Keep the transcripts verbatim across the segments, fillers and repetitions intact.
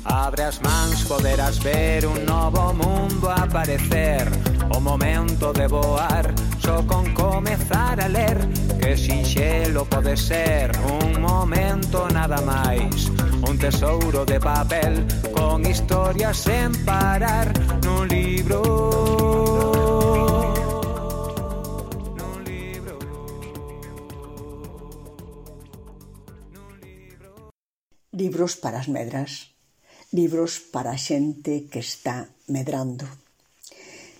Abre as mans, poderás ver un novo mundo aparecer. O momento de voar, só con comezar a ler. Que sinxelo pode ser, un momento nada máis. Un tesouro de papel, con historias sen parar. Nun libro, nun libro, nun libro. Libros para as medras. Libros para a xente que está medrando.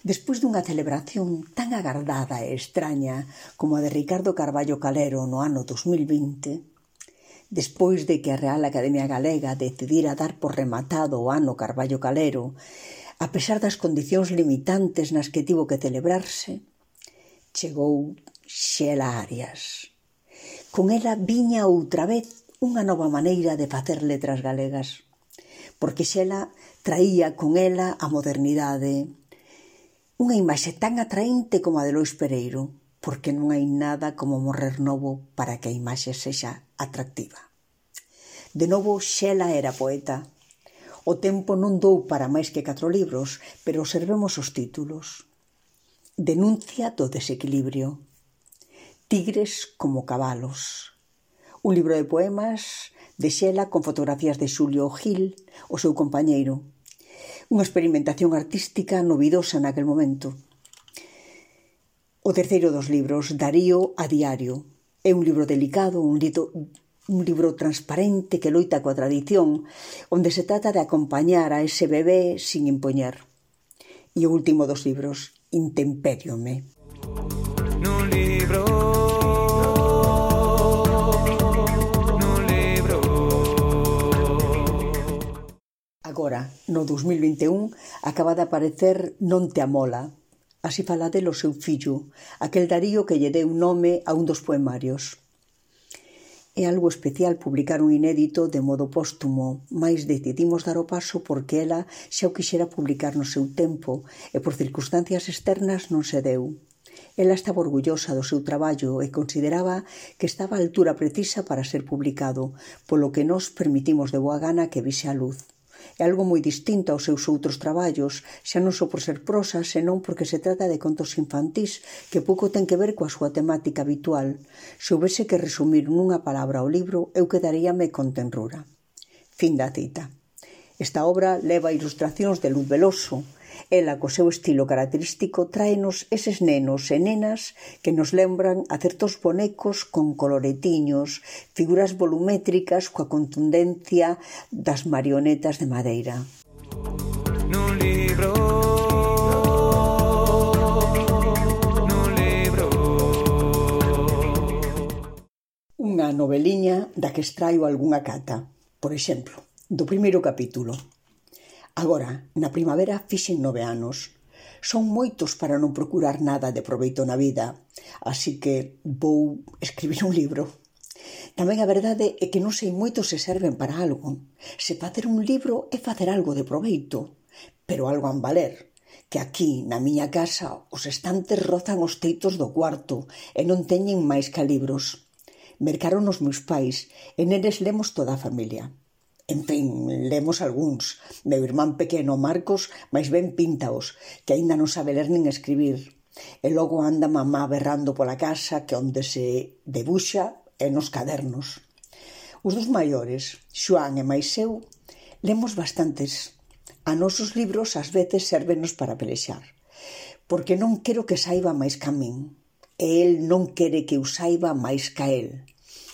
Despois dunha celebración tan agardada e extraña como a de Ricardo Carballo Calero no ano dos mil vinte, despois de que a Real Academia Galega decidira dar por rematado o ano Carballo Calero, a pesar das condicións limitantes nas que tivo que celebrarse, chegou Xela Arias. Con ela viña outra vez unha nova maneira de facer letras galegas, porque Xela traía con ela a modernidade, unha imaxe tan atraente como a de Lois Pereiro, porque non hai nada como morrer novo para que a imaxe sexa atractiva. De novo, Xela era poeta. O tempo non dou para máis que catro libros, pero observemos os títulos. Denuncia do desequilibrio. Tigres como cabalos. Un libro de poemas de Xela con fotografías de Xulio Gil, o seu compañeiro. Unha experimentación artística novidosa naquel momento. O terceiro dos libros, Darío a diario. É un libro delicado, un libro, un libro transparente que loita coa tradición, onde se trata de acompañar a ese bebé sin impoñer. E o último dos libros, Intempériome. Nun libro, agora, no dos mil vinte e un, acaba de aparecer Non te amola. Así fala del o seu fillo, aquel Darío que lle deu nome a un dos poemarios. É algo especial publicar un inédito de modo póstumo, mais decidimos dar o paso porque ela xa o quixera publicar no seu tempo e por circunstancias externas non se deu. Ela estaba orgullosa do seu traballo e consideraba que estaba a altura precisa para ser publicado, polo que nos permitimos de boa gana que vise a luz. É algo moi distinto aos seus outros traballos, xa non só por ser prosa, senón porque se trata de contos infantís que pouco ten que ver coa súa temática habitual. Se houvese que resumir nunha palabra o libro, eu quedaríame con tenrura. Fin da cita. Esta obra leva ilustracións de Luz Veloso. Ela, co seu estilo característico, tráenos eses nenos e nenas que nos lembran a certos bonecos con coloretiños, figuras volumétricas coa contundencia das marionetas de madeira. nun libro, nun libro. Unha noveliña da que extraio algunha cata. Por exemplo, do primeiro capítulo. Agora, na primavera fixen nove anos. Son moitos para non procurar nada de proveito na vida, así que vou escribir un libro. Tamén a verdade é que non sei moito se serven para algo. Se facer un libro é facer algo de proveito, pero algo han valer, que aquí, na miña casa, os estantes rozan os teitos do cuarto e non teñen máis que libros. Mercaron os meus pais e neles lemos toda a familia. En fin, lemos algúns. Meu irmán pequeno, Marcos, máis ben píntaos, que aínda non sabe ler nin escribir. E logo anda mamá berrando pola casa que onde se debuxa é nos cadernos. Os dos maiores, Xoán e máis eu, lemos bastantes. A nosos libros ás veces sérvenos para pelexar, porque non quero que saiba máis ca min, e el non quere que eu saiba máis ca el.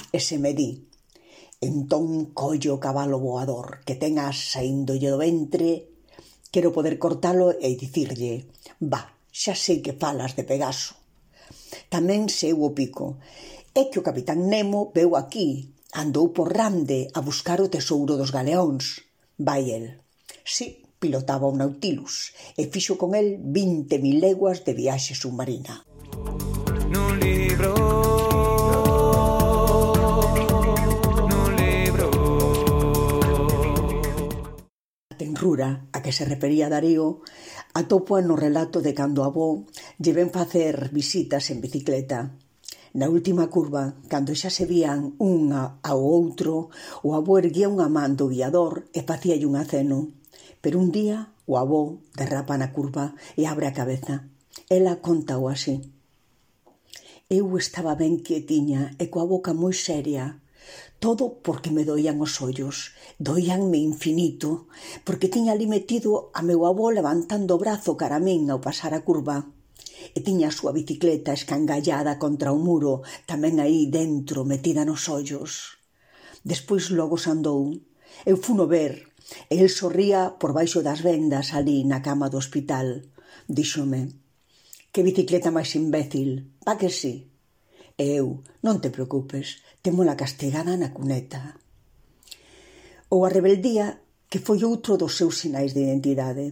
E se me di, entón colle o cabalo voador que ten as saíndolle do ventre, quero poder cortalo e dicirlle, va, xa sei que falas de Pegaso. Tamén sei o pico, é que o capitán Nemo veu aquí, andou por Rande a buscar o tesouro dos galeóns. Vai el. Si, pilotaba o Nautilus e fixo con el vinte mil leguas de viaxe submarina. Nun libro, nun libro. A tenrura a que se refería Darío atopo no relato de cando a avó lle ven facer visitas en bicicleta. Na última curva, cando xa se vían un ao outro, o avó erguía unha man do guiador e facíalle un aceno. Pero un día o avó derrapa na curva e abre a cabeza. Ela contao así. Eu estaba ben quietiña e coa boca moi seria. Todo porque me doían os ollos, doíanme infinito, porque tiña ali metido a meu avó levantando o brazo cara a min ao pasar a curva. E tiña a súa bicicleta escangallada contra o muro, tamén aí dentro, metida nos ollos. Despois logo se andou. Eu funo ver, e el sorría por baixo das vendas ali na cama do hospital. Díxome, que bicicleta máis imbécil, pa que sí? E eu, non te preocupes, témola castigada na cuneta. Ou a rebeldía, que foi outro dos seus sinais de identidade.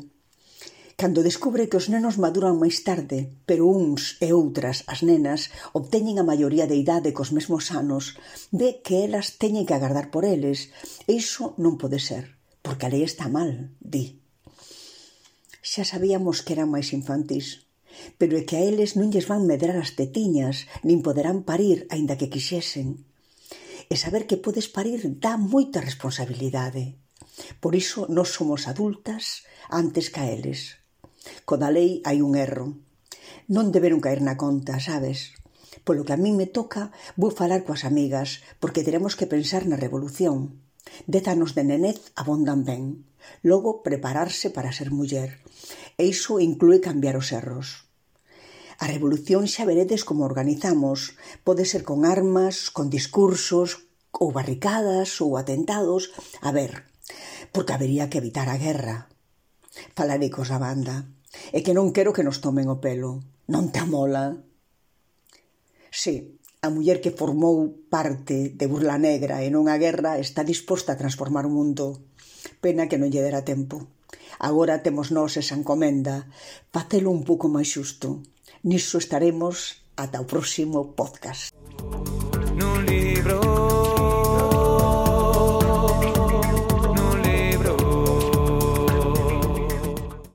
Cando descubre que os nenos maduran máis tarde, pero uns e outras, as nenas, obteñen a maioría de idade cos mesmos anos, ve que elas teñen que agardar por eles. E iso non pode ser, porque a lei está mal, di. Xa sabíamos que eran máis infantís, pero é que a eles non lles van medrar as tetiñas, nin poderán parir, aínda que quixesen. E saber que podes parir dá moita responsabilidade. Por iso nós somos adultas antes que a eles. Co da lei hai un erro. Non deberon caer na conta, sabes? Polo que a min me toca, vou falar coas amigas, porque teremos que pensar na revolución. Dez anos de nenez abondan ben. Logo, prepararse para ser muller. E iso inclúe cambiar os erros. A revolución xa veredes como organizamos. Pode ser con armas, con discursos, ou barricadas, ou atentados. A ver, porque habería que evitar a guerra. Falarei cos da banda. É que non quero que nos tomen o pelo. Non te amola? Sí, a muller que formou parte de Burla Negra e non a guerra está disposta a transformar o mundo. Pena que non lle dera tempo. Agora temos nós esa encomenda, facelo un pouco máis xusto. Niso estaremos ata o próximo podcast.